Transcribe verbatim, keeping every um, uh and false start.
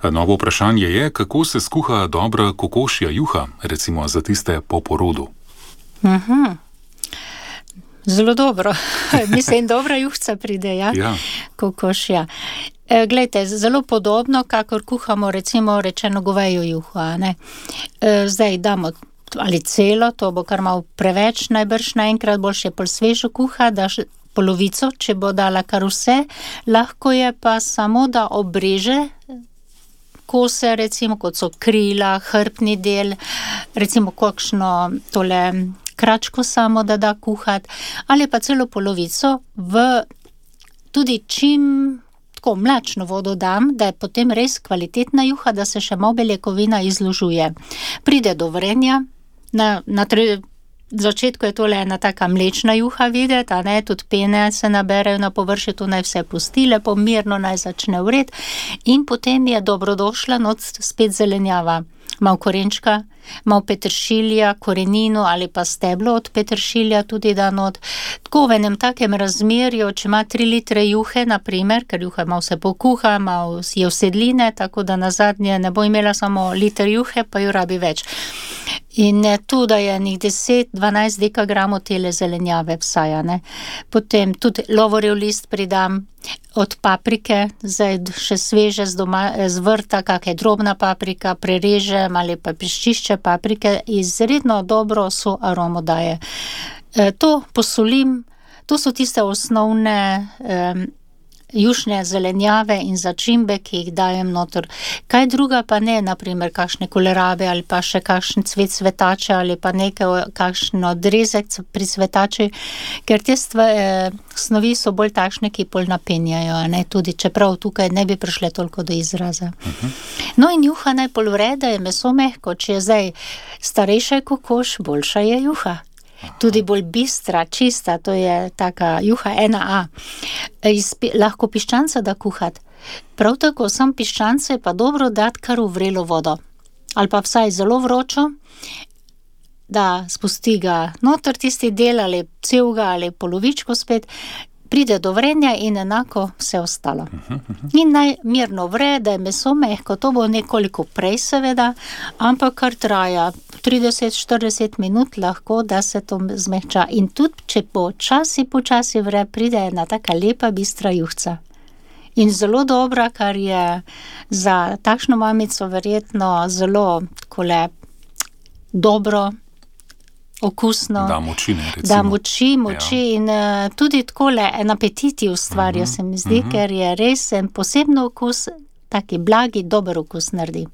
Novo vprašanje je, kako se skuha dobra kokošja juha, recimo za tiste po porodu. Mhm. Zelo dobro. Mislim, dobra juhca pride, ja? Ja. Kokošja. E, glejte, zelo podobno, kakor kuhamo recimo rečeno govejo juho, a ne. E, zdaj damo ali celo, to bo kar malo preveč, najbrž naenkrat boljše pol svežo kuha, daš polovico, če bo dala kar vse, lahko je pa samo, da obreže kose, recimo, kot so krila, hrbtni del, recimo kakšno tole kračko samo, da da kuhat, ali pa celo polovico v tudi čim tako mlačno vodo dam, da je potem res kvalitetna juha, da se še malo beljakovina izložuje. Pride do vrenja, na, na tre, začetku je tole ena taka mlečna juha videti, a ne, tudi pene se naberejo na površju, to naj vse pusti, lepo mirno naj začne vret in potem je dobrodošla not spet zelenjava. Malo korenčka, malo peteršilja, korenino ali pa steblo od peteršilja tudi da not. Tako v enem takem razmerju, če ima tri litre juhe, na primer, ker juha malo se pokuha, malo je vsedline, tako da nazadnje ne bo imela samo liter juhe, pa jo rabi več. In tu, da je nek deset do dvanajst dekagramov tele zelenjave vsaj, ne. Potem tudi lovorjev list pridam, od paprike, zdaj še sveže z, doma, z vrta, kak je drobna paprika, prerežem ali pa piščišče paprike, izredno dobro so aromo daje. E, to posolim, to so tiste osnovne um, jušne zelenjave in začimbe, ki jih dajem noter. Kaj druga pa ne, na primer kakšne kolerabe ali pa še kakšen cvet cvetače ali pa nekaj, kakšen odrezek pri cvetači, ker te stva, eh, snovi so bolj takšne, ki bolj napenjajo, ne, tudi čeprav tukaj ne bi prišle toliko do izraza. Uh-huh. No in juha naj pol vre, da je meso mehko, če je zdaj starejša kokoš, boljša je juha. Tudi bolj bistra, čista, to je taka juha ena a. Iz, lahko piščanca da kuhat. Prav tako sam piščance je pa dobro dati kar v vrelo vodo. Ali pa vsaj zelo vročo, da spusti ga noter tisti del ali celega ali polovičko spet, pride do vrenja in enako vse ostalo. In naj mirno vre, da je meso mehko, to bo nekoliko prej seveda, ampak kar traja trideset do štirideset minut lahko, da se to zmehča. In tudi, če počasi, počasi vre, pride ena taka lepa, bistra juhca. In zelo dobra, kar je za takšno mamico verjetno zelo takole dobro, okusno. Da moči, ne, recimo. Da moči, moči ja. In uh, tudi takole en apetiti ustvarja, uh-huh. se mi zdi, uh-huh. ker je res en posebno okus, taki blagi, dober okus naredi.